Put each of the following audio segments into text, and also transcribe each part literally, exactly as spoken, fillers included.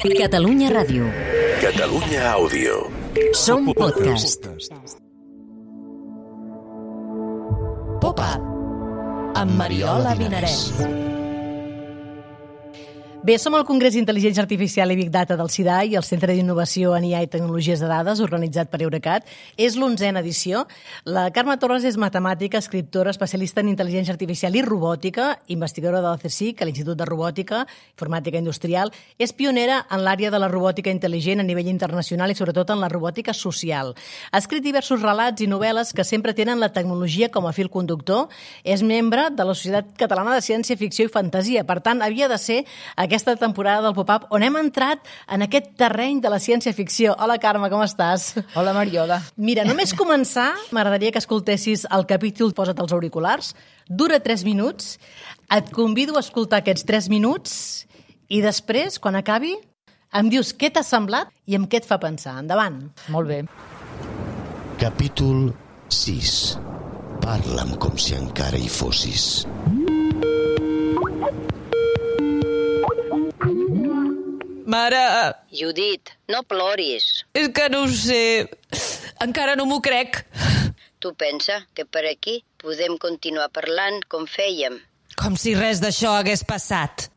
Catalunya Ràdio. Catalunya Àudio. Som podcast. Pop-up amb Mariola Vinarès. Bé, som al Congrés d'Intel·ligència Artificial i Big Data del C I D A I, el Centre d'Innovació en I A i Tecnologies de Dades, organitzat per Eurecat. És l'onzena edició. La Carme Torres és matemàtica, escriptora, especialista en intel·ligència artificial i robòtica, investigadora de l'A C S I C, a l'Institut de Robòtica, Informàtica Industrial. És pionera en l'àrea de la robòtica intel·ligent a nivell internacional i sobretot en la robòtica social. Ha escrit diversos relats i novel·les que sempre tenen la tecnologia com a fil conductor. És membre de la Societat Catalana de Ciència Ficció i Fantasia. Per tant, havia de ser aquest aquesta temporada del Pop-up on hem entrat en aquest terreny de la ciència-ficció. Hola, Carme, com estàs? Hola, Mariola. Mira, només començar, m'agradaria que escoltessis el capítol Posa't els auriculars. Dura tres minuts. Et convido a escoltar aquests tres minuts i després, quan acabi, em dius què t'ha semblat i amb què et fa pensar. Endavant. Molt bé. Capítol sis. Parla'm com si encara hi fossis. Mare... Judit, no ploris. És que no ho sé. Encara no m'ho crec. Tu pensa que per aquí podem continuar parlant com fèiem. Com si res d'això hagués passat.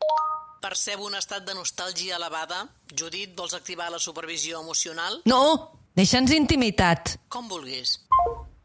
Percebo un estat de nostàlgia elevada. Judit, vols activar la supervisió emocional? No, deixa'ns intimitat. Com vulguis.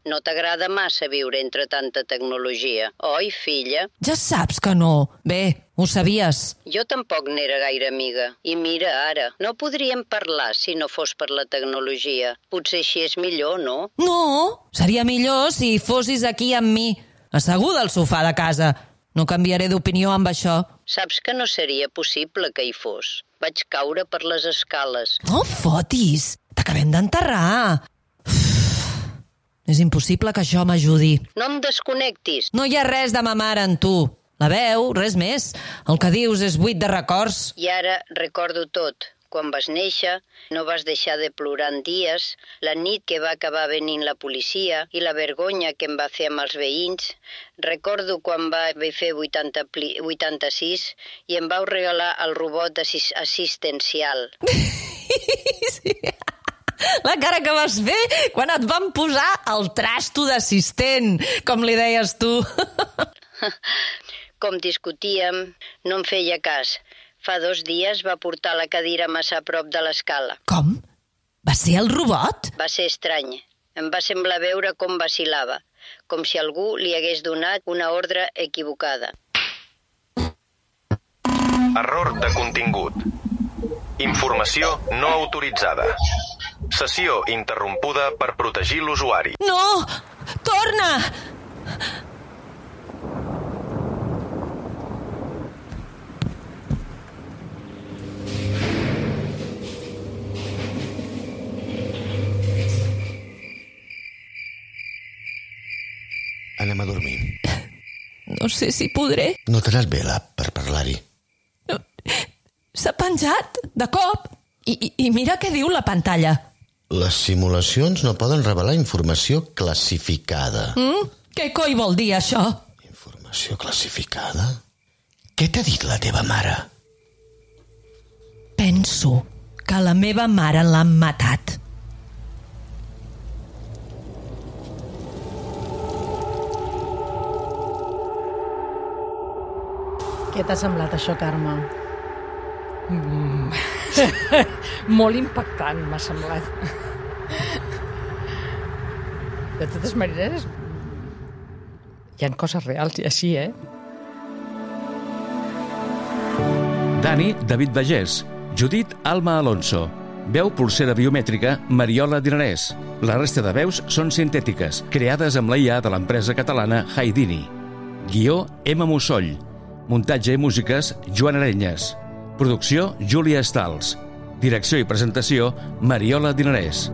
No t'agrada massa viure entre tanta tecnologia, oi, filla? Ja saps que no. Bé, ho sabies. Jo tampoc n'era gaire amiga. I mira ara, no podríem parlar si no fos per la tecnologia. Potser així és millor, no? No, seria millor si fossis aquí amb mi, asseguda al sofà de casa. No canviaré d'opinió amb això. Saps que no seria possible que hi fos. Vaig caure per les escales. No fotis, t'acabem d'enterrar. És impossible que això m'ajudi. No em desconnectis. No hi ha res de ma mare en tu. La veu, res més. El que dius és buit de records. I ara recordo tot. Quan vas néixer, no vas deixar de plorar en dies, la nit que va acabar venint la policia i la vergonya que em va fer amb els veïns. Recordo quan va fer vuitanta-sis i em vau regalar el robot assis- assistencial. Sí. La cara que vas fer quan et van posar el trasto d'assistent, com li deies tu. Com discutíem, no em feia cas. Fa dos dies va portar la cadira massa a prop de l'escala. Com? Va ser el robot? Va ser estrany. Em va semblar veure com vacil·lava, com si algú li hagués donat una ordre equivocada. Error de contingut. Informació no autoritzada. Sessió interrompuda per protegir l'usuari. No! Torna! Anem a dormir. No sé si podré. No t'ha anat bé l'app per parlar-hi. No. S'ha penjat, de cop. I, i, I mira què diu la pantalla. Les simulacions no poden revelar informació classificada. Mm? Què coi vol dir això? Informació classificada? Què t'ha dit la teva mare? Penso que la meva mare l'han matat. Què t'ha semblat això, Carme? Mm. Molt impactant, m'ha semblat. De totes maneres, hi ha coses reals i així, eh? Dani, David Bagés. Judit, Alma Alonso. Veu pulsera biomètrica, Mariola Dinarès. La resta de veus són sintètiques, creades amb la I A de l'empresa catalana Haidini. Guió, Emma Mussoll. Muntatge i músiques, Joan Arenyes. Producció, Júlia Stals. Direcció i presentació, Mariola Dinarès.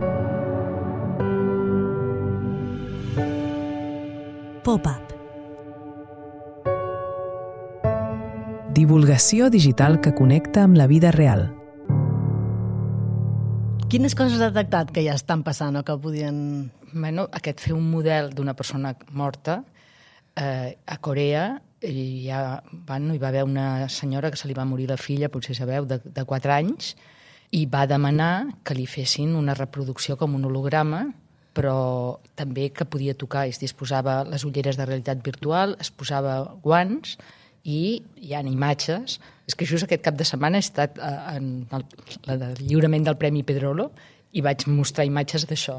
Pop-up. Divulgació digital que connecta amb la vida real. Quines coses has detectat que ja estan passant o que podien... Bueno, aquest fer un model d'una persona morta eh, a Corea i ja, bueno, hi va haver una senyora que se li va morir la filla, potser sabeu, de, de quatre anys, i va demanar que li fessin una reproducció com un holograma, però també que podia tocar, es disposava les ulleres de realitat virtual, es posava guants i hi ha imatges. És que just aquest cap de setmana he estat en el, el lliurament del Premi Pedrolo i vaig mostrar imatges d'això,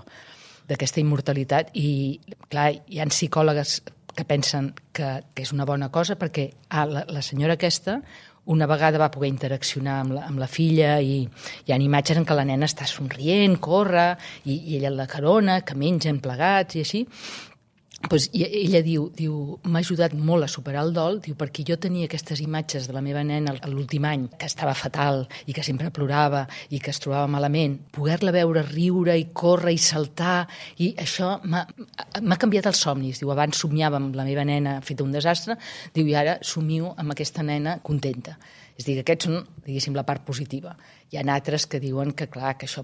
d'aquesta immortalitat, i clar, hi ha psicòlogues que pensen que, que és una bona cosa perquè ah, la, la senyora aquesta una vegada va poder interaccionar amb la, amb la filla i hi ha imatges en què la nena està somrient, corre, i, i ella la carona, que mengen plegats i així. Pues, i ella diu, diu m'ha ajudat molt a superar el dol, diu, perquè jo tenia aquestes imatges de la meva nena l'últim any, que estava fatal i que sempre plorava i que es trobava malament, poder-la veure riure i córrer i saltar, i això m'ha canviat els somnis. Diu, abans somiava amb la meva nena feta un desastre, diu, i ara somio amb aquesta nena contenta. És a dir, que aquests són, diguéssim, la part positiva. Hi ha altres que diuen que, clar, que això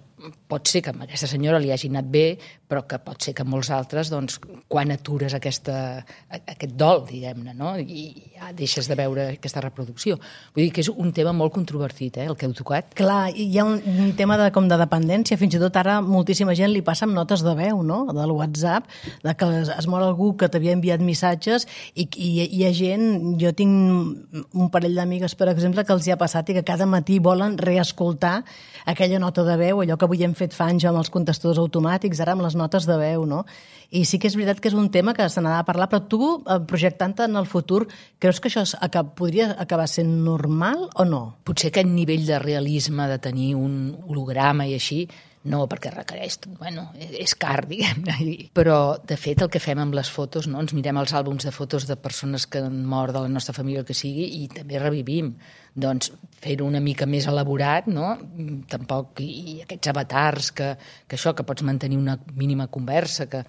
pot ser que a aquesta senyora li hagi anat bé, però que pot ser que molts altres, doncs, quan atures aquesta, aquest dol, diguem-ne, no? I ja deixes de veure aquesta reproducció. Vull dir que és un tema molt controvertit, eh, el que heu tocat. Clar, hi ha un, un tema de, com de dependència, fins i tot ara moltíssima gent li passa amb notes de veu, no?, del WhatsApp, de que es, es mor algú que t'havia enviat missatges i, i hi ha gent, jo tinc un parell d'amigues, per exemple, que els hi ha passat i que cada matí volen reescoltar aquella nota de veu, allò que avui hem fet fa anys amb els contestadors automàtics, ara amb les notes de veu, no? I sí que és veritat que és un tema que se n'ha de parlar, però tu, projectant-te en el futur, creus que això podria acabar sent normal o no? Potser aquest nivell de realisme de tenir un holograma i així, no, perquè requereix, bueno, és car, diguem-ne. Però, de fet, el que fem amb les fotos, no? Ens mirem els àlbums de fotos de persones que han mort de la nostra família, el que sigui, i també revivim. Doncs fer-ho una mica més elaborat, no? Tampoc, i aquests avatars, que, que això, que pots mantenir una mínima conversa, que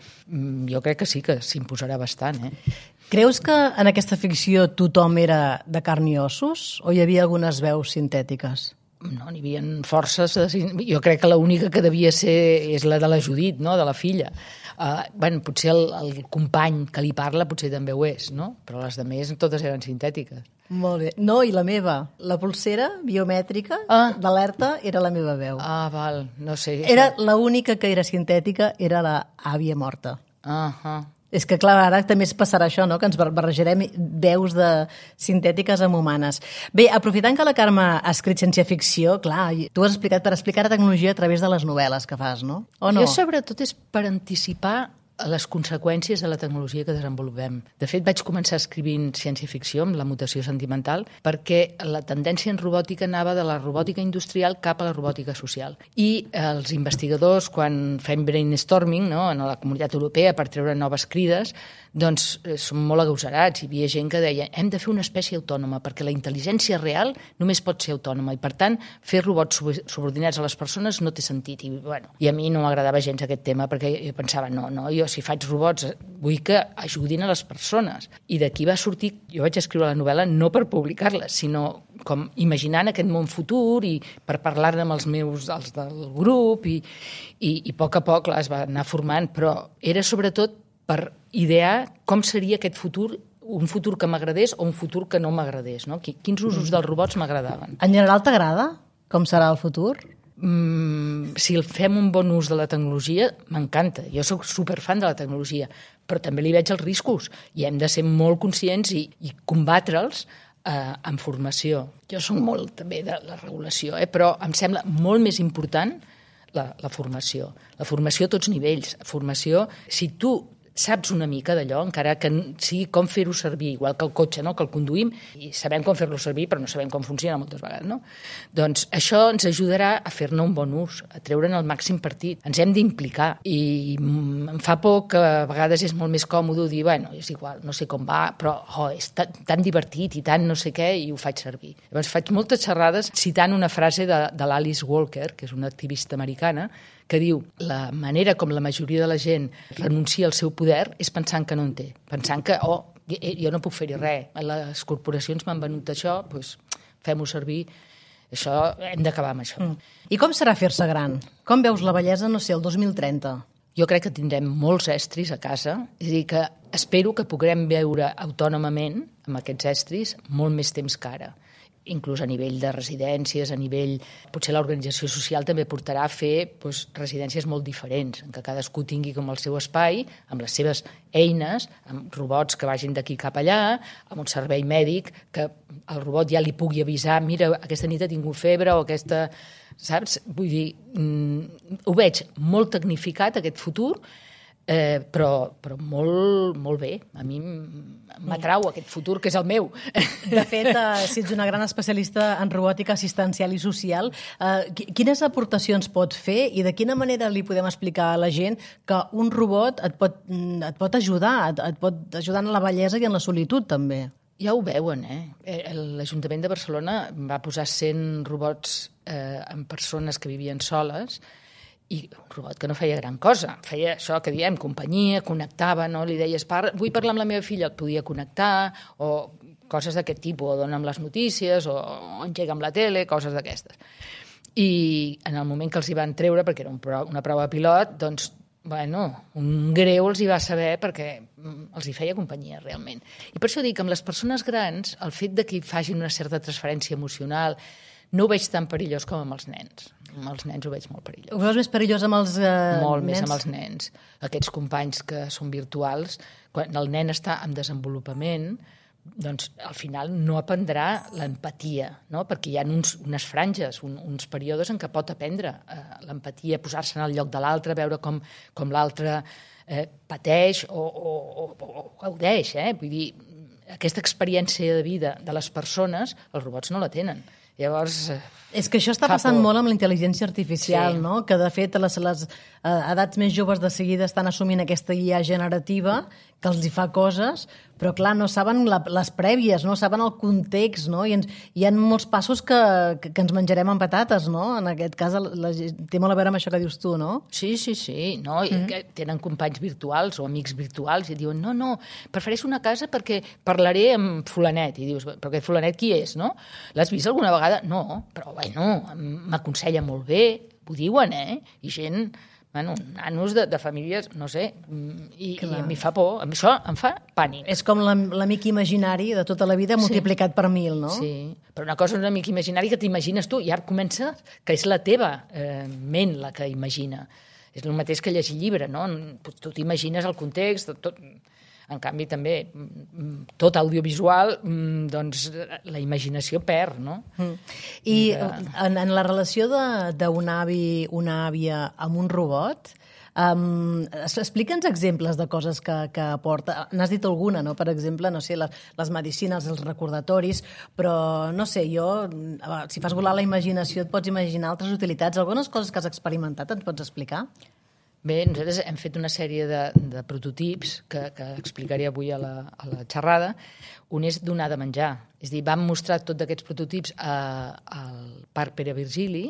jo crec que sí que s'imposarà bastant, eh? Creus que en aquesta ficció tothom era de carn i ossos, o hi havia algunes veus sintètiques? No, n'hi havia forces. Jo crec que l'única que devia ser és la de la Judit, no?, de la filla. Uh, bueno, potser el, el company que li parla potser també ho és, no? Però les de més totes eren sintètiques. Molt bé. No, i la meva. La pulsera biomètrica ah. d'alerta era la meva veu. Ah, val, no sé. Era l'única que era sintètica, era la àvia morta. Ah, ah. És que, clar, ara també es passarà això, no?, que ens barrejarem veus de sintètiques amb humanes. Bé, aprofitant que la Carme ha escrit ciència-ficció, clar, tu has explicat per explicar la tecnologia a través de les novel·les que fas, no? O no? Jo, sobretot, és per anticipar les conseqüències de la tecnologia que desenvolupem. De fet, vaig començar escrivint ciència-ficció amb la mutació sentimental perquè la tendència en robòtica anava de la robòtica industrial cap a la robòtica social. I els investigadors, quan fem brainstorming, no?, en la comunitat europea per treure noves crides, doncs són molt agosarats. Hi havia gent que deia hem de fer una espècie autònoma perquè la intel·ligència real només pot ser autònoma i, per tant, fer robots subordinats a les persones no té sentit. I, bueno, i a mi no m'agradava gens aquest tema perquè jo pensava, no, no, jo si faig robots vull que ajudin a les persones. I d'aquí va sortir, jo vaig escriure la novel·la no per publicar-la, sinó com imaginant aquest món futur i per parlar-ne amb els meus, els del grup, i, i, i a poc a poc es va anar formant, però era sobretot per idear com seria aquest futur, un futur que m'agradés o un futur que no m'agradés, no? Quins usos dels robots m'agradaven. En general t'agrada com serà el futur? Mm, si fem un bon ús de la tecnologia, m'encanta. Jo sóc superfan de la tecnologia, però també li veig els riscos i hem de ser molt conscients i, i combatre'ls eh, amb formació. Jo soc molt també de la regulació, eh, però em sembla molt més important la, la formació. La formació a tots nivells. Formació, si tu saps una mica d'allò, encara que sigui com fer-ho servir, igual que el cotxe, no?, que el conduïm, i sabem com fer-lo servir, però no sabem com funciona moltes vegades, no? Doncs això ens ajudarà a fer-ne un bon ús, a treure'n el màxim partit. Ens hem d'implicar, i em fa por que a vegades és molt més còmode dir, bueno, és igual, no sé com va, però oh, és tan, tan divertit i tant no sé què, i ho faig servir. Llavors faig moltes xerrades citant una frase de, de l'Alice Walker, que és una activista americana, que diu, la manera com la majoria de la gent renuncia al seu poder és pensant que no en té, pensant que, oh, jo no puc fer-hi res, les corporacions m'han venut això, doncs fem-ho servir, això hem d'acabar amb això. Mm. I com serà fer-se gran? Com veus la bellesa, no sé, el dos mil trenta? Jo crec que tindrem molts estris a casa, és a dir, que espero que puguem viure autònomament amb aquests estris molt més temps que ara. Inclús a nivell de residències, a nivell... Potser l'organització social també portarà a fer doncs, residències molt diferents, en què cadascú tingui com el seu espai, amb les seves eines, amb robots que vagin d'aquí cap allà, amb un servei mèdic que el robot ja li pugui avisar, mira, aquesta nit ha tingut febre o aquesta... Saps? Vull dir, mm, ho veig molt tecnificat, aquest futur, eh, però, però molt, molt bé. A mi m'atrau aquest futur, que és el meu. De fet, eh, si ets una gran especialista en robòtica assistencial i social, eh, quines aportacions pot fer i de quina manera li podem explicar a la gent que un robot et pot, et pot ajudar, et, et pot ajudar en la bellesa i en la solitud, també? Ja ho veuen, eh? L'Ajuntament de Barcelona va posar cent robots eh, en persones que vivien soles i un robot que no feia gran cosa. Feia això que diem, companyia, connectava, no? Li deies, par vull parlar amb la meva filla, et podia connectar, o coses d'aquest tipus, o dona'm les notícies, o engega amb la tele, coses d'aquestes. I en el moment que els hi van treure, perquè era un pro una prova pilot, doncs bueno, un greu els hi va saber perquè els hi feia companyia realment. I per això dic que amb les persones grans el fet de que facin una certa transferència emocional no ho veig tan perillós com amb els nens. Amb els nens ho veig molt perillós. Ho veus més perillós amb els eh, molt nens? Més amb els nens. Aquests companys que són virtuals, quan el nen està en desenvolupament, doncs al final no aprendrà l'empatia, no? Perquè hi ha uns, unes franges, un, uns períodes en què pot aprendre eh, l'empatia, posar-se en el lloc de l'altre, veure com, com l'altre eh, pateix o, o, o, o gaudeix. Eh? Vull dir, aquesta experiència de vida de les persones, els robots no la tenen. Llavors, eh, és que això està passant por. molt amb la intel·ligència artificial, sí. No? Que de fet les, les eh, edats més joves de seguida estan assumint aquesta I A generativa que els hi fa coses, però clar, no saben la, les prèvies, no saben el context, no? I ens, hi ha molts passos que, que, que ens menjarem amb patates, no? En aquest cas la, la, té molt a veure amb això que dius tu, no? Sí, sí, sí. No? Mm. I tenen companys virtuals o amics virtuals i diuen, no, no, prefereixo una casa perquè parlaré amb fulanet. I dius, però aquest fulanet qui és, no? L'has vist alguna vegada? No, però bueno, m'aconsella molt bé, ho diuen, eh? I gent... Bueno, nanos de, de famílies, no sé, i, i a mi fa por, a mi això em fa pànic. És com l'amic imaginari de tota la vida multiplicat sí. per mil, no? Sí, però una cosa és un amic imaginari que t'imagines tu, i ara comença que és la teva eh, ment la que imagina. És el mateix que llegir llibre, no? Tu t'imagines el context, tot... En canvi, també, tot audiovisual, doncs la imaginació perd, no? Mm. I en, en la relació d'un avi, una àvia amb un robot, um, explica'ns exemples de coses que, que aporta. N'has dit alguna, no? Per exemple, no sé, les, les medicines, els recordatoris, però, no sé, jo, si fas volar la imaginació et pots imaginar altres utilitats. Algunes coses que has experimentat ens pots explicar? Bé, nosaltres hem fet una sèrie de, de prototips que, que explicaré avui a la, a la xerrada. Un és donar de menjar. És a dir, vam mostrar tots aquests prototips a, al Parc Pere Virgili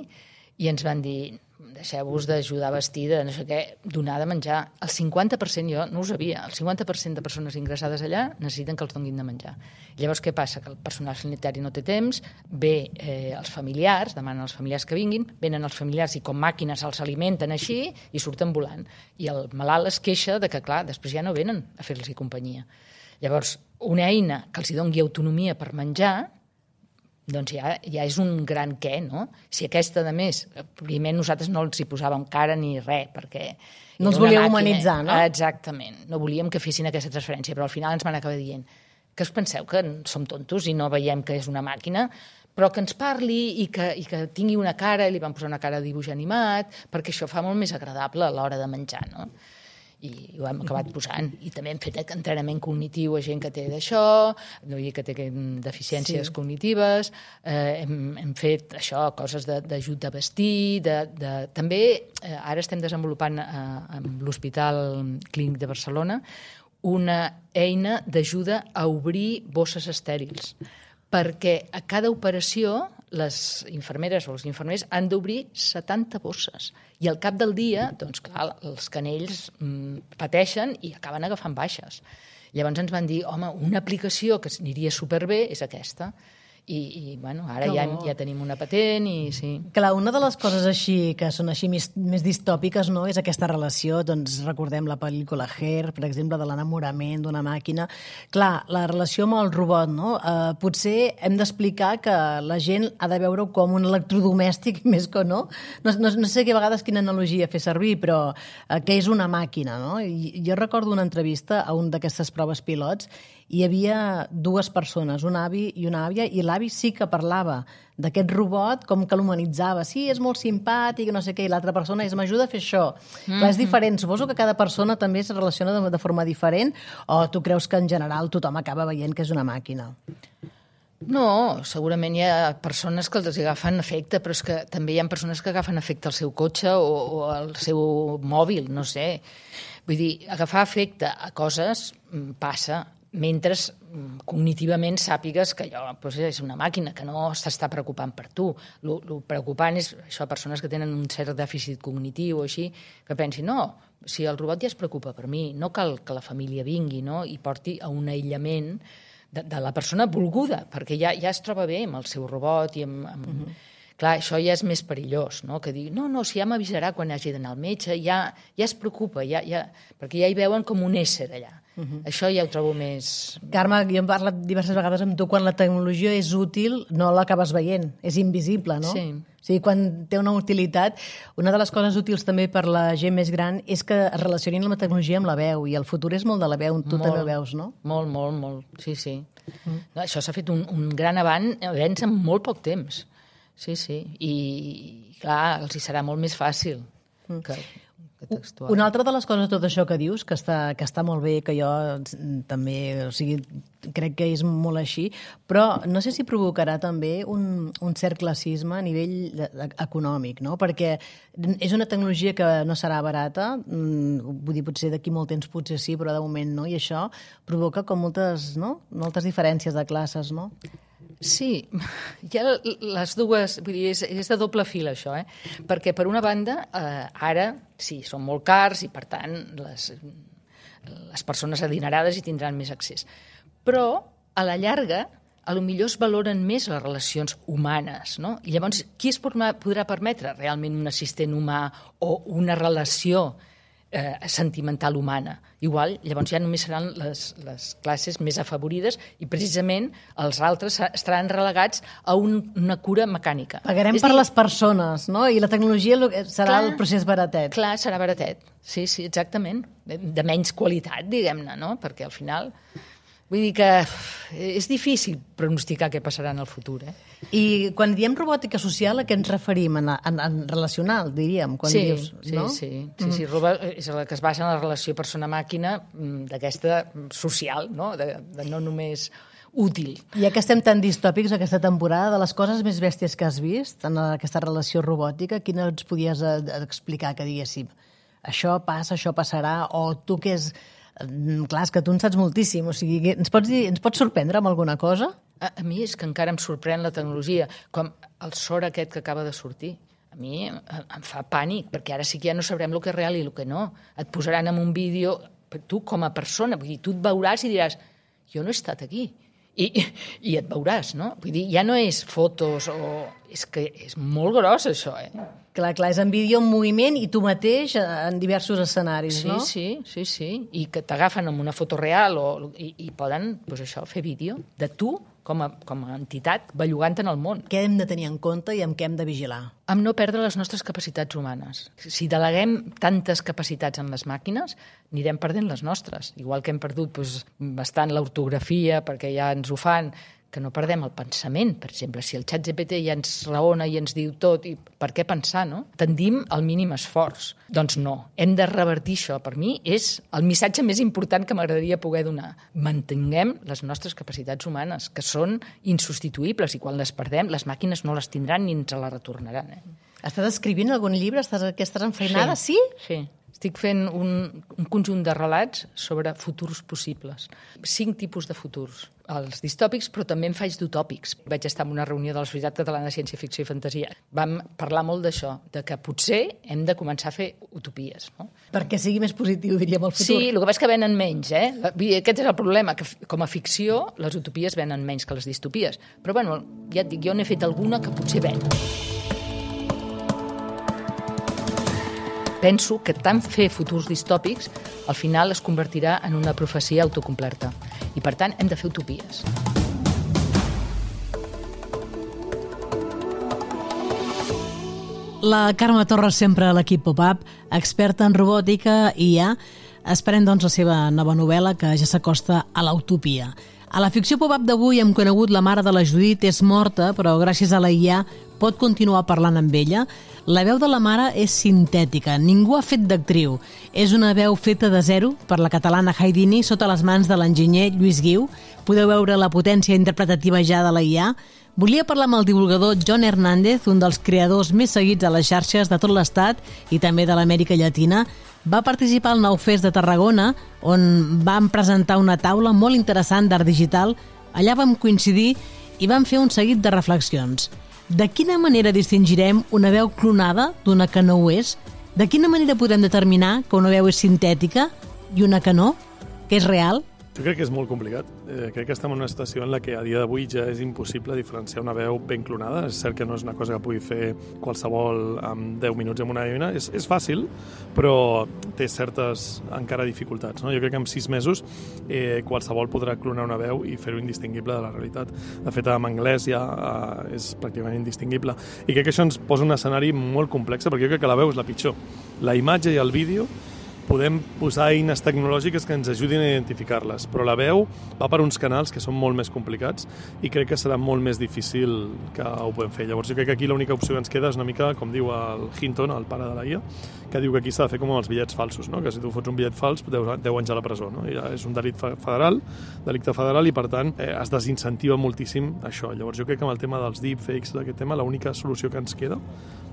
i ens van dir, deixeu-vos d'ajudar a vestir, de no sé què, donar de menjar. El cinquanta per cent, jo no ho sabia, el cinquanta per cent de persones ingressades allà necessiten que els donin de menjar. Llavors, què passa? Que el personal sanitari no té temps, ve eh, els familiars, demanen als familiars que vinguin, venen els familiars i com màquines els alimenten així i surten volant. I el malalt es queixa de que, clar, després ja no venen a fer-los companyia. Llavors, una eina que els doni autonomia per menjar, doncs ja, ja és un gran què, no? Si aquesta, a més, primer nosaltres no els hi posàvem cara ni res, perquè... No els volíeu humanitzar, no? Exactament. No volíem que fessin aquesta transferència, però al final ens van acabar dient que us penseu que som tontos i no veiem que és una màquina, però que ens parli i que, i que tingui una cara, i li van posar una cara de dibuix animat, perquè això fa molt més agradable a l'hora de menjar, no? I ho hem acabat posant. I també hem fet entrenament cognitiu a gent que té d'això, que té deficiències sí. cognitives, eh, hem, hem fet això, coses d'ajut a vestir, de, de, també eh, ara estem desenvolupant eh, amb l'Hospital Clínic de Barcelona una eina d'ajuda a obrir bosses estèrils, perquè a cada operació les infermeres o els infermers han d'obrir setanta bosses. I al cap del dia, doncs clar, els canells mmm, pateixen i acaben agafant baixes. Llavors ens van dir, home, una aplicació que aniria superbé és aquesta. I, i bueno, ara ja, ja tenim una patent i sí. Clar, una de les coses així que són així més, més distòpiques, no?, és aquesta relació, doncs recordem la pel·lícula Hair, per exemple, de l'enamorament d'una màquina. Clar, la relació amb el robot, no? Eh, potser hem d'explicar que la gent ha de veure com un electrodomèstic, més que no. No, no, no sé que a vegades quina analogia fer servir, però eh, que és una màquina, no? I jo recordo una entrevista a un d'aquestes proves pilots, hi havia dues persones, un avi i una àvia, i l'avi sí que parlava d'aquest robot com que l'humanitzava. Sí, és molt simpàtic, no sé què, i l'altra persona és m'ajuda a fer això. Mm-hmm. Clar, és diferent. Suposo que cada persona també es relaciona de, de forma diferent, o tu creus que en general tothom acaba veient que és una màquina? No, segurament hi ha persones que els agafen afecte, però és que també hi ha persones que agafen afecte al seu cotxe o, o al seu mòbil, no sé. Vull dir, agafar afecte a coses passa, mentre cognitivament sàpigues que allò doncs, és una màquina, que no s'està preocupant per tu. El preocupant és això, persones que tenen un cert dèficit cognitiu o així, que pensin, no, si el robot ja es preocupa per mi, no cal que la família vingui, no?, i porti a un aïllament de, de la persona volguda, perquè ja, ja es troba bé amb el seu robot i amb... amb... Mm-hmm. Clar, això ja és més perillós, no?, que dir, no, no, si ja m'avisarà quan hagi d'anar al metge, ja, ja es preocupa, ja, ja, perquè ja hi veuen com un ésser allà. Uh-huh. Això ja ho trobo més... Carme, jo hem parlat diverses vegades amb tu, quan la tecnologia és útil no l'acabes veient, és invisible, no? Sí. O sigui, quan té una utilitat, una de les coses útils també per la gent més gran és que es relacionin la tecnologia amb la veu, i el futur és molt de la veu, tu molt, també veus, no? Molt, molt, molt, sí, sí. Uh-huh. No, això s'ha fet un, un gran avanç, avanç en molt poc temps. Sí, sí, i clar, els hi serà molt més fàcil que, que textual. Una altra de les coses de tot això que dius, que està, que està molt bé, que jo també, o sigui, crec que és molt així, però no sé si provocarà també un, un cert classisme a nivell econòmic, no? Perquè és una tecnologia que no serà barata, vull dir, potser d'aquí molt temps potser sí, però de moment no, i això provoca com moltes, no? moltes diferències de classes, no? Sí, hi ha les dues, vull dir, és, és de doble fil això, eh? Perquè per una banda, eh, ara sí, són molt cars i per tant les, les persones adinerades hi tindran més accés. Però a la llarga, a lo millor es valoren més les relacions humanes, no? I llavors, qui es podrà permetre realment un assistent humà o una relació eh, sentimental humana? Igual, llavors ja només seran les, les classes més afavorides i precisament els altres estaran relegats a un, una cura mecànica. Pagarem és per dir... les persones, no? I la tecnologia serà clar, el procés baratet. Clar, serà baratet. Sí, sí, exactament. De, de menys qualitat, diguem-ne, no? Perquè al final... Vull dir que és difícil pronosticar què passarà en el futur. Eh? I quan diem robòtica social, a què ens referim? En, en, en relacional, diríem? Quan sí, dius, sí, no? sí, sí, mm. sí. Roba és la que es basa en la relació persona-màquina d'aquesta social, no? De, de no només útil. Ja que estem tan distòpics aquesta temporada, de les coses més bèsties que has vist en aquesta relació robòtica, quina ens podies explicar que diguéssim això passa, això passarà, o tu que és... Clar, és que tu en saps moltíssim, o sigui, ens pots, dir, ens pots sorprendre amb alguna cosa? A, a mi és que encara em sorprèn la tecnologia, com el sort aquest que acaba de sortir. A mi em, em fa pànic, perquè ara sí que ja no sabrem el que és real i el que no. Et posaran en un vídeo, tu com a persona, vull dir, tu et veuràs i diràs, jo no he estat aquí. I, i et veuràs, no? Vull dir, ja no és fotos o... És que és molt gros, això, eh? Clar, clar, és en vídeo en moviment i tu mateix en diversos escenaris, sí, no? Sí, sí, sí, i que t'agafen amb una foto real o, i, i poden, doncs això, fer vídeo de tu com a, com a entitat bellugant en el món. Què hem de tenir en compte i amb què hem de vigilar? Amb no perdre les nostres capacitats humanes. Si deleguem tantes capacitats en les màquines, anirem perdent les nostres. Igual que hem perdut doncs, bastant l'ortografia, perquè ja ens ho fan, que no perdem el pensament, per exemple. Si el xat G P T ja ens raona i ens diu tot, i per què pensar, no? Tendim al mínim esforç. Doncs no, hem de revertir això. Per mi és el missatge més important que m'agradaria poder donar. Mantinguem les nostres capacitats humanes, que són insubstituïbles, i quan les perdem, les màquines no les tindran ni ens les retornaran. Eh? Estàs escrivint algun llibre? Estàs, que estàs enfeinada? Sí? Sí. Estic fent un, un conjunt de relats sobre futurs possibles. Cinc tipus de futurs. els distòpics, però també en faig d'utòpics. Vaig estar en una reunió de la Societat Catalana de Ciència Ficció i Fantasia. Vam parlar molt d'això, de que potser hem de començar a fer utopies, no? Perquè sigui més positiu, diríem, el futur. Sí, el que passa és que venen menys, eh? Aquest és el problema, que com a ficció les utopies venen menys que les distopies. Però, bueno, ja et dic, jo n'he fet alguna que potser ven. Penso que tant fer futurs distòpics al final es convertirà en una profecia autocomplerta. I, per tant, hem de fer utopies. La Carme Torres, sempre a l'equip Pop-Up, experta en robòtica i I A. Esperem, doncs, la seva nova novel·la, que ja s'acosta a l'utopia. A la ficció Pop-Up d'avui hem conegut la mare de la Judit, és morta, però gràcies a la I A pot continuar parlant amb ella. La veu de la mare és sintètica, ningú ha fet d'actriu. És una veu feta de zero per la catalana Haydini sota les mans de l'enginyer Lluís Guiu. Podeu veure la potència interpretativa ja de la I A. Volia parlar amb el divulgador John Hernández, un dels creadors més seguits a les xarxes de tot l'Estat i també de l'Amèrica Llatina. Va participar al Nou Fest de Tarragona, on vam presentar una taula molt interessant d'art digital. Allà vam coincidir i vam fer un seguit de reflexions. De quina manera distingirem una veu clonada d'una que no ho és? De quina manera podem determinar que una veu és sintètica i una que no? Que és real? Jo crec que és molt complicat. Eh, crec que estem en una situació en la que a dia d'avui ja és impossible diferenciar una veu ben clonada. És cert que no és una cosa que pugui fer qualsevol en deu minuts amb una eina. És, és fàcil, però té certes encara dificultats, no? Jo crec que en sis mesos eh, qualsevol podrà clonar una veu i fer-ho indistingible de la realitat. De fet, en anglès ja eh, és pràcticament indistingible. I crec que això ens posa un escenari molt complex, perquè jo crec que la veu és la pitjor. La imatge i el vídeo podem posar eines tecnològiques que ens ajudin a identificar-les, però la veu va per uns canals que són molt més complicats i crec que serà molt més difícil que ho podem fer. Llavors jo crec que aquí l'única opció que ens queda és una mica, com diu el Hinton, el pare de la I A, que diu que aquí s'ha de fer com els bitllets falsos, no? Que si tu fots un bitllet fals, deu anys a la presó, no? I ja és un delit federal, delicte federal, i per tant eh, es desincentiva moltíssim això. Llavors jo crec que amb el tema dels deepfakes, d'aquest tema, l'única solució que ens queda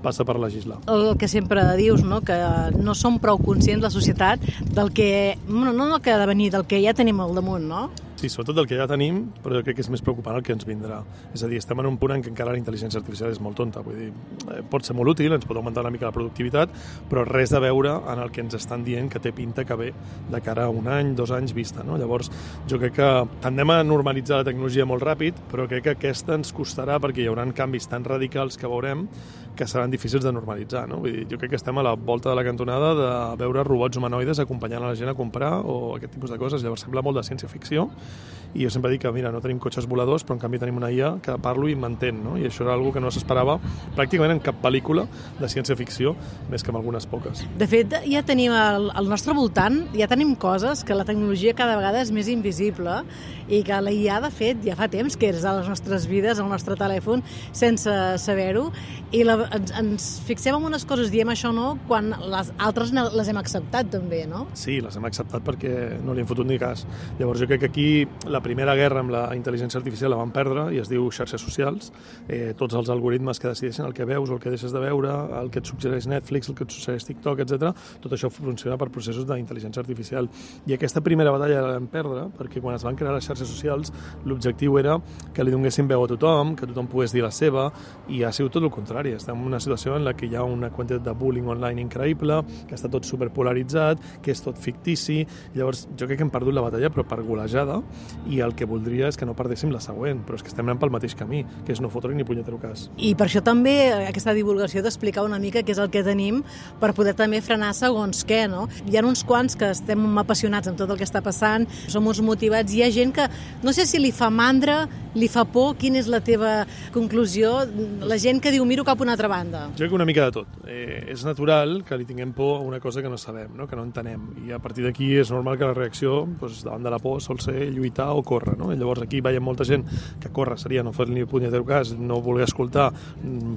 passa per legislar. El que sempre dius, no? Que no som prou conscients, la societat, del que, no, no del que ha de venir, del que ja tenim al damunt, no? Sí, sobretot del que ja tenim, però jo crec que és més preocupant el que ens vindrà. És a dir, estem en un punt en què encara la intel·ligència artificial és molt tonta. Vull dir, pot ser molt útil, ens pot augmentar una mica la productivitat, però res a veure en el que ens estan dient que té pinta que ve de cara a un any, dos anys vista, no? Llavors, jo crec que tendem a normalitzar la tecnologia molt ràpid, però crec que aquesta ens costarà perquè hi haurà canvis tan radicals que veurem que seran difícils de normalitzar, no? Vull dir, jo crec que estem a la volta de la cantonada de veure robots humanoides acompanyant a la gent a comprar o aquest tipus de coses. Llavors sembla molt de ciència-ficció i jo sempre dic que, mira, no tenim cotxes voladors, però en canvi tenim una I A que parlo i m'entén, no? I això era una cosa que no s'esperava pràcticament en cap pel·lícula de ciència-ficció, més que en algunes poques. De fet, ja tenim al, al nostre voltant, ja tenim coses que la tecnologia cada vegada és més invisible i que la I A, de fet, ja fa temps que és a les nostres vides, al nostre telèfon, sense saber-ho, i la, ens, ens fixem en unes coses, diem això no, quan les altres les hem acceptat també, no? Sí, les hem acceptat perquè no li hem fotut ni cas. Llavors jo crec que aquí la primera guerra amb la intel·ligència artificial la van perdre i es diu xarxes socials. Eh, tots els algoritmes que decideixen el que veus o el que deixes de veure, el que et suggereix Netflix, el que et suggereix TikTok, etcètera. Tot això funciona per processos d'intel·ligència artificial. I aquesta primera batalla la vam perdre perquè quan es van crear les xarxes socials l'objectiu era que li donguessin veu a tothom, que tothom pogués dir la seva, i ha sigut tot el contrari. Estem en una situació en la que hi ha una quantitat de bullying online increïble, que està tot superpolaritzat, que és tot fictici. Llavors jo crec que hem perdut la batalla però per golejada, i el que voldria és que no perdéssim la següent, però és que estem anant pel mateix camí, que és no fotre ni punyetero cas. I per això també aquesta divulgació d'explicar una mica què és el que tenim per poder també frenar segons què, no? Hi ha uns quants que estem apassionats amb tot el que està passant, som uns motivats, hi ha gent que no sé si li fa mandra, li fa por, quina és la teva conclusió? La gent que diu miro cap a una altra banda. Jo crec que una mica de tot. Eh, és natural que li tinguem por a una cosa que no sabem, no? Que no entenem, i a partir d'aquí és normal que la reacció doncs, davant de la por sol ser lluitar o córrer, no? I llavors aquí veiem molta gent que córrer seria no fer ni punyetero cas, no voler escoltar,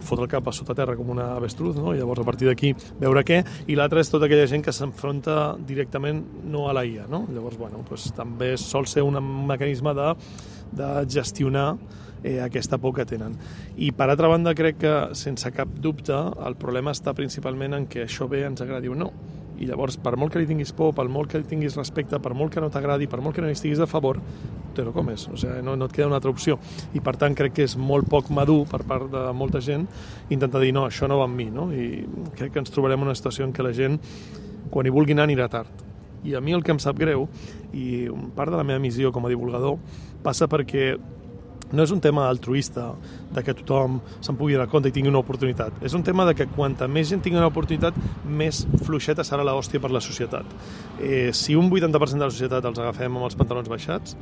fotre el cap a sota terra com una avestruz, no? I llavors a partir d'aquí veure què, i l'altre és tota aquella gent que s'enfronta directament no a la I A, no? Llavors, bueno, doncs, també sol ser un mecanisme de, de gestionar eh, aquesta por que tenen. I per altra banda crec que sense cap dubte el problema està principalment en que això bé ens agradi o no. I llavors, per molt que li tinguis por, per molt que li tinguis respecte, per molt que no t'agradi, per molt que no hi estiguis a favor, te lo comes, o sigui, no, no et queda una altra opció. I per tant crec que és molt poc madur per part de molta gent intentar dir no, això no va amb mi, no? I crec que ens trobarem en una situació en què la gent, quan hi vulgui anar, anirà tard. I a mi el que em sap greu, i part de la meva missió com a divulgador, passa perquè no és un tema altruista, de que tothom se'n pugui donar compte i tingui una oportunitat. És un tema de que quanta més gent tingui una oportunitat, més fluixeta serà l'hòstia per la societat. Eh, si un vuitanta per cent de la societat els agafem amb els pantalons baixats,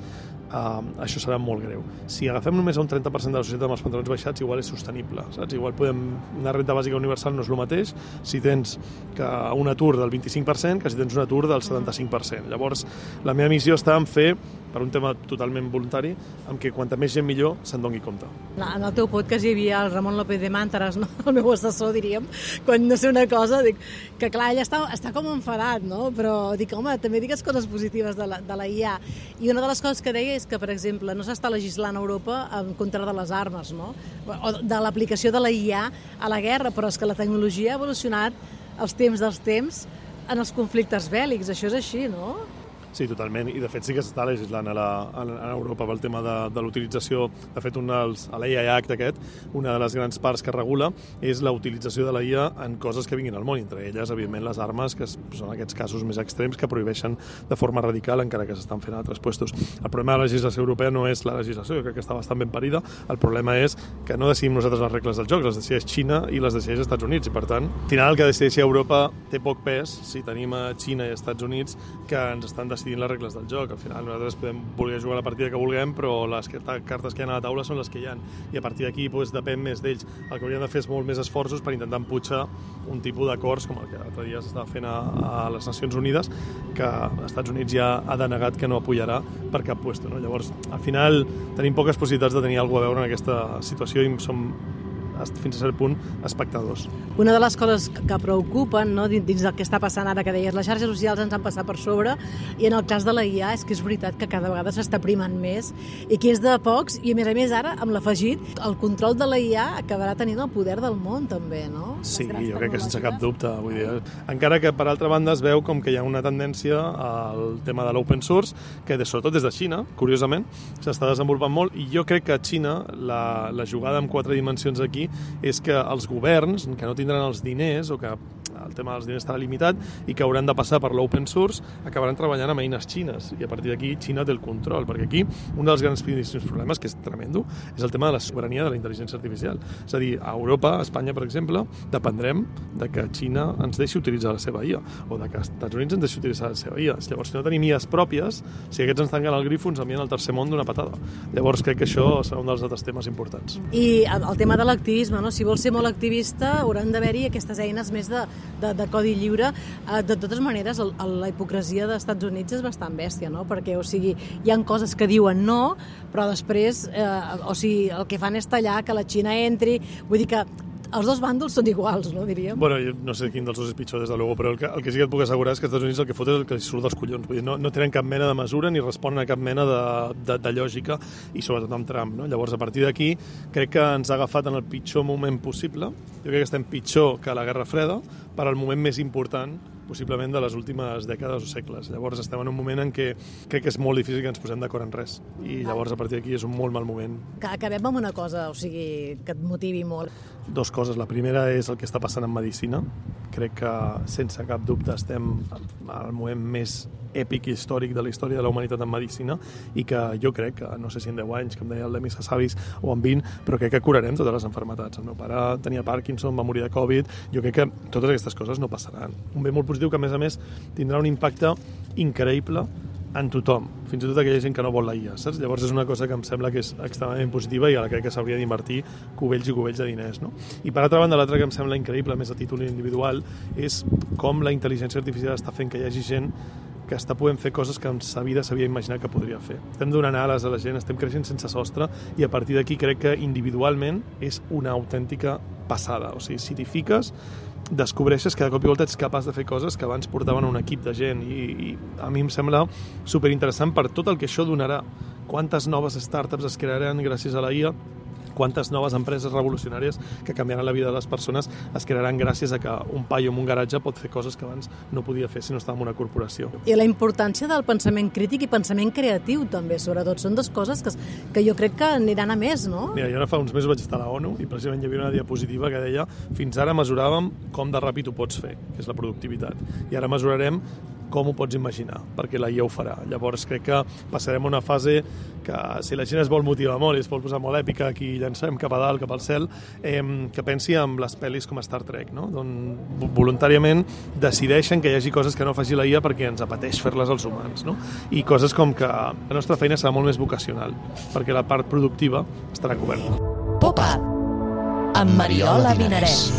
eh, això serà molt greu. Si agafem només un trenta per cent de la societat amb els pantalons baixats, igual és sostenible, saps? Igual podem... Una renda bàsica universal no és el mateix si tens que un atur del vint-i-cinc per cent que si tens un atur del setanta-cinc per cent. Llavors, la meva missió està en fer, per un tema totalment voluntari, amb que quanta més gent millor se'n doni compte. En el teu podcast hi havia el Ramon López de Màntares, no? El meu assessor, diríem, quan no sé una cosa, dic que clar, ell està, està com enfadat, no? Però dic, home, també digues coses positives de la, de la I A. I una de les coses que deia és que, per exemple, no s'està legislant a Europa en contra de les armes, no? O de l'aplicació de la I A a la guerra, però és que la tecnologia ha evolucionat els temps dels temps en els conflictes bèl·lics, això és així, no? Sí, totalment, i de fet sí que s'està legislant a, la, a, a Europa pel tema de, de l'utilització. De fet, un dels, a l'A I Act aquest, una de les grans parts que regula és la utilització de la I A en coses que vinguin al món, entre elles, evidentment, les armes, que són aquests casos més extrems que prohibeixen de forma radical, encara que s'estan fent a altres puestos. El problema de la legislació europea no és la legislació, jo crec que està bastant ben parida, el problema és que no decidim nosaltres les regles del joc, les decideix Xina i les decideix Estats Units, i per tant, al final el que decideixi Europa té poc pes si tenim a Xina i Estats Units que ens estan decidint les regles del joc. Al final nosaltres podem voler jugar la partida que vulguem, però les cartes que hi ha a la taula són les que hi ha. I a partir d'aquí doncs, depèn més d'ells. El que hauríem de fer és molt més esforços per intentar empujar un tipus d'acords, com el que l'altre dia s'estava fent a, a les Nacions Unides, que als Estats Units ja ha denegat que no apoyarà per cap puesto, no? Llavors, al final, tenim poques possibilitats de tenir alguna a veure en aquesta situació i som fins a cert punt, espectadors. Una de les coses que preocupen, no, dins del que està passant ara, que deies, les xarxes socials ens han passat per sobre, i en el cas de la I A és que és veritat que cada vegada s'està primant més i que és de pocs, i a més a més ara, amb l'afegit, el control de la I A acabarà tenint el poder del món també, no? Sí, jo crec que sense cap dubte. Vull dir, encara que per altra banda es veu com que hi ha una tendència al tema de l'open source, que de, sobretot des de Xina, curiosament, s'està desenvolupant molt, i jo crec que a Xina la, la jugada en quatre dimensions aquí és que els governs, que no tindran els diners o que el tema dels diners estarà limitat i que hauran de passar per l'open source, acabaran treballant amb eines xines i a partir d'aquí Xina té el control, perquè aquí un dels grans problemes, que és tremendo, és el tema de la soberania de la intel·ligència artificial. És a dir, a Europa, a Espanya, per exemple, dependrem de que Xina ens deixi utilitzar la seva I A o de que els Estats Units ens deixi utilitzar la seva I A. Llavors, si no tenim I As pròpies, si aquests ens tanquen el grifo, ens envien al tercer món d'una patada. Llavors, crec que això serà un dels altres temes importants. I el tema de l'activisme, no? Si vols ser molt activista, hauran d'haver-hi aquestes eines més de, de, de codi lliure. De totes maneres, el, el, la hipocresia dels Estats Units és bastant bèstia, no? Perquè, o sigui, hi ha coses que diuen no, però després, eh, o sigui, el que fan és tallar que la Xina entri. Vull dir que els dos bàndols són iguals, no, diríem? Bueno, jo no sé quin dels dos és pitjor, des de luego, però el que, el que sí que et puc assegurar és que els Estats Units el que fot és el que els surt dels collons. Vull dir, no, no tenen cap mena de mesura ni responen a cap mena de, de, de lògica, i sobretot amb Trump, no? Llavors, a partir d'aquí, crec que ens ha agafat en el pitjor moment possible. Jo crec que estem pitjor que la Guerra Freda, per al moment més important possiblement de les últimes dècades o segles. Llavors estem en un moment en què crec que és molt difícil que ens posem d'acord en res. I llavors a partir d'aquí és un molt mal moment. Que acabem amb una cosa, o sigui, que et motivi molt. Dos coses. La primera és el que està passant en medicina. Crec que sense cap dubte estem al moment més èpic i històric de la història de la humanitat en medicina i que jo crec que, no sé si en deu anys, com deia el Demis Hassabis, o en vint, però crec que curarem totes les malalties. El meu pare tenia Parkinson, va morir de Covid, jo crec que totes aquestes coses no passaran. Un bé molt positiu que, a més a més, tindrà un impacte increïble en tothom, fins i tot aquella gent que no vol la I A, saps? Llavors és una cosa que em sembla que és extremadament positiva i ara crec que s'hauria d'invertir cubells i cubells de diners, no? I per altra banda, l'altra que em sembla increïble, més a títol individual, és com la intel·ligència artificial està fent que hi hagi gent que està podent fer coses que en sa vida s'havia imaginat que podria fer. Estem donant ales a la gent, estem creixent sense sostre i a partir d'aquí crec que individualment és una autèntica passada. O sigui, si t'hi fiques, descobreixes que de cop i volta ets capaç de fer coses que abans portaven un equip de gent i, i a mi em sembla superinteressant per tot el que això donarà. Quantes noves startups es crearan gràcies a la I A, quantes noves empreses revolucionàries que canviaran la vida de les persones es crearan gràcies a que un paio en un garatge pot fer coses que abans no podia fer si no estava en una corporació. I la importància del pensament crític i pensament creatiu, també, sobretot. Són dues coses que, que jo crec que aniran a més, no? Mira, jo ara fa uns mesos vaig estar a la ONU i precisament hi havia una diapositiva que deia fins ara mesuràvem com de ràpid ho pots fer, que és la productivitat. I ara mesurarem com ho pots imaginar, perquè la I A ho farà. Llavors crec que passarem una fase que si la gent es vol motivar molt i es vol posar molt èpica, aquí llancem cap a dalt, cap al cel, eh, que pensi en les pel·lis com Star Trek, no? On voluntàriament decideixen que hi hagi coses que no faci la I A perquè ens apeteix fer-les als humans, no? I coses com que la nostra feina serà molt més vocacional, perquè la part productiva estarà coberta. Pop-up amb Mariola Vinarès.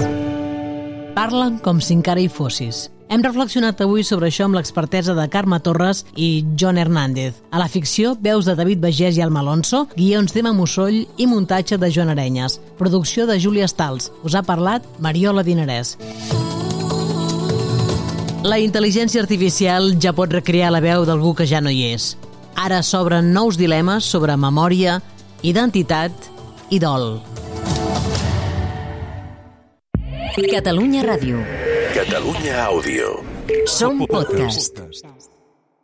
Parlen com si encara hi fossis. Hem reflexionat avui sobre això amb l'expertesa de Carme Torres i John Hernández. A la ficció, veus de David Bagés i Alma Alonso, guions d'Emma Musoll i muntatge de Joan Arenyes. Producció de Júlia Stals. Us ha parlat Mariola Dinarès. La intel·ligència artificial ja pot recrear la veu d'algú que ja no hi és. Ara s'obren nous dilemes sobre memòria, identitat i dol. Catalunya Ràdio. Catalunya Àudio. Som podcast.